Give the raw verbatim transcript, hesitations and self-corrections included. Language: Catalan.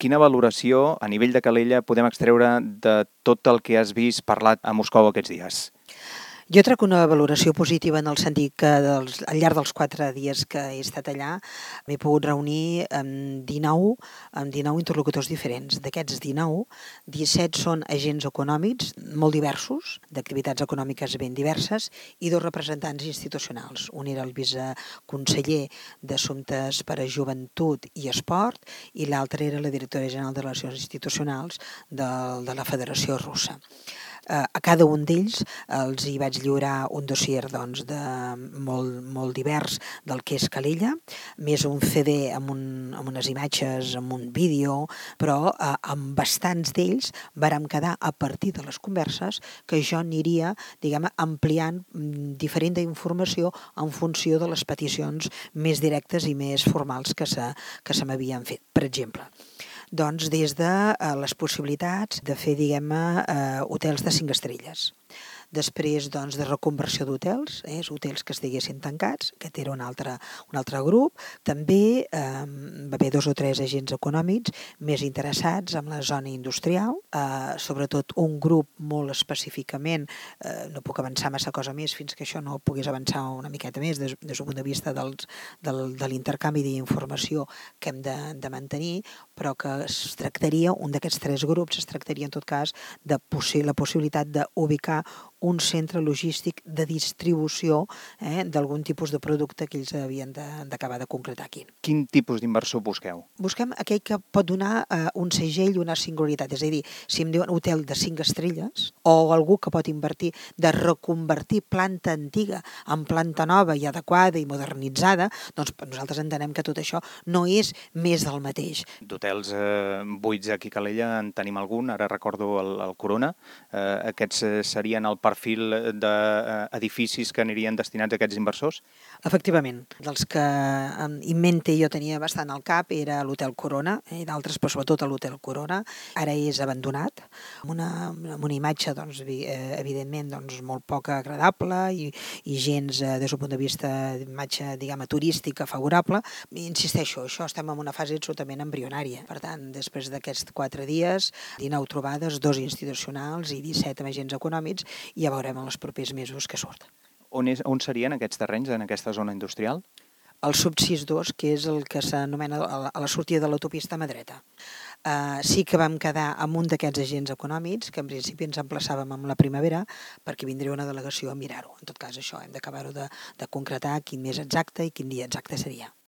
Quina valoració a nivell de Calella podem extreure de tot el que has vist parlat a Moscou aquests dies? Jo trec una valoració positiva en el sentit que dels, al llarg dels quatre dies que he estat allà m'he pogut reunir amb dinou, amb dinou interlocutors diferents. D'aquests dinou, disset són agents econòmics molt diversos, d'activitats econòmiques ben diverses, i dos representants institucionals. Un era el viceconseller d'Assumptes per a Joventut i Esport i l'altre era la directora general de Relacions Institucionals de, de la Federació Russa. A cada un d'ells els hi vaig lliurar un dossier doncs, de molt, molt divers del que és Calella, més un C D amb, un, amb unes imatges, amb un vídeo, però eh, amb bastants d'ells vàrem quedar a partir de les converses que jo aniria diguem, ampliant diferent informació en funció de les peticions més directes i més formals que se, que se m'havien fet. Per exemple, doncs des de eh, les possibilitats de fer, diguem-ne, eh, hotels de cinc estrelles. Després, doncs, de reconversió d'hotels, eh, hotels que estiguessin tancats, aquest era un altre, un altre grup. També eh, va haver dos o tres agents econòmics més interessats en la zona industrial, eh, sobretot un grup molt específicament, eh, no puc avançar massa cosa més fins que això no pogués avançar una miqueta més des, des del punt de vista dels, del, de l'intercanvi d'informació que hem de, de mantenir, però que es tractaria, un d'aquests tres grups es tractaria en tot cas de possi- la possibilitat d'ubicar un centre logístic de distribució eh, d'algun tipus de producte que ells havien d'acabar de, de concretar aquí. Quin tipus d'inversor busqueu? Busquem aquell que pot donar eh, un segell i una singularitat, és a dir, si em diuen hotel de cinc estrelles o algú que pot invertir de reconvertir planta antiga en planta nova i adequada i modernitzada, doncs nosaltres entenem que tot això no és més del mateix. D'hotels eh, buits aquí a Calella en tenim algun, ara recordo el, el Corona. Eh, aquests serien el perfil d'edificis que anirien destinats a aquests inversors? Efectivament, dels que en mente jo tenia bastant al cap era l'Hotel Corona, i d'altres, però sobretot l'Hotel Corona. Ara és abandonat, amb una, amb una imatge, doncs, evidentment, doncs, molt poc agradable i, i gens, des del punt de vista d'imatge, diguem, turística favorable. I insisteixo, això estem en una fase absolutament embrionària. Per tant, després d'aquests quatre dies, dinou trobades, dos institucionals i disset amb agents econòmics, i ja veurem en els propers mesos què surt. On, és, on serien aquests terrenys, en aquesta zona industrial? El sub sis dos, que és el que s'anomena a la sortida de l'autopista mà dreta. Uh, sí que vam quedar amb un d'aquests agents econòmics, que en principi ens emplaçàvem amb la primavera, perquè vindria una delegació a mirar-ho. En tot cas, això, hem d'acabar-ho de, de concretar quin mes exacte i quin dia exacte seria.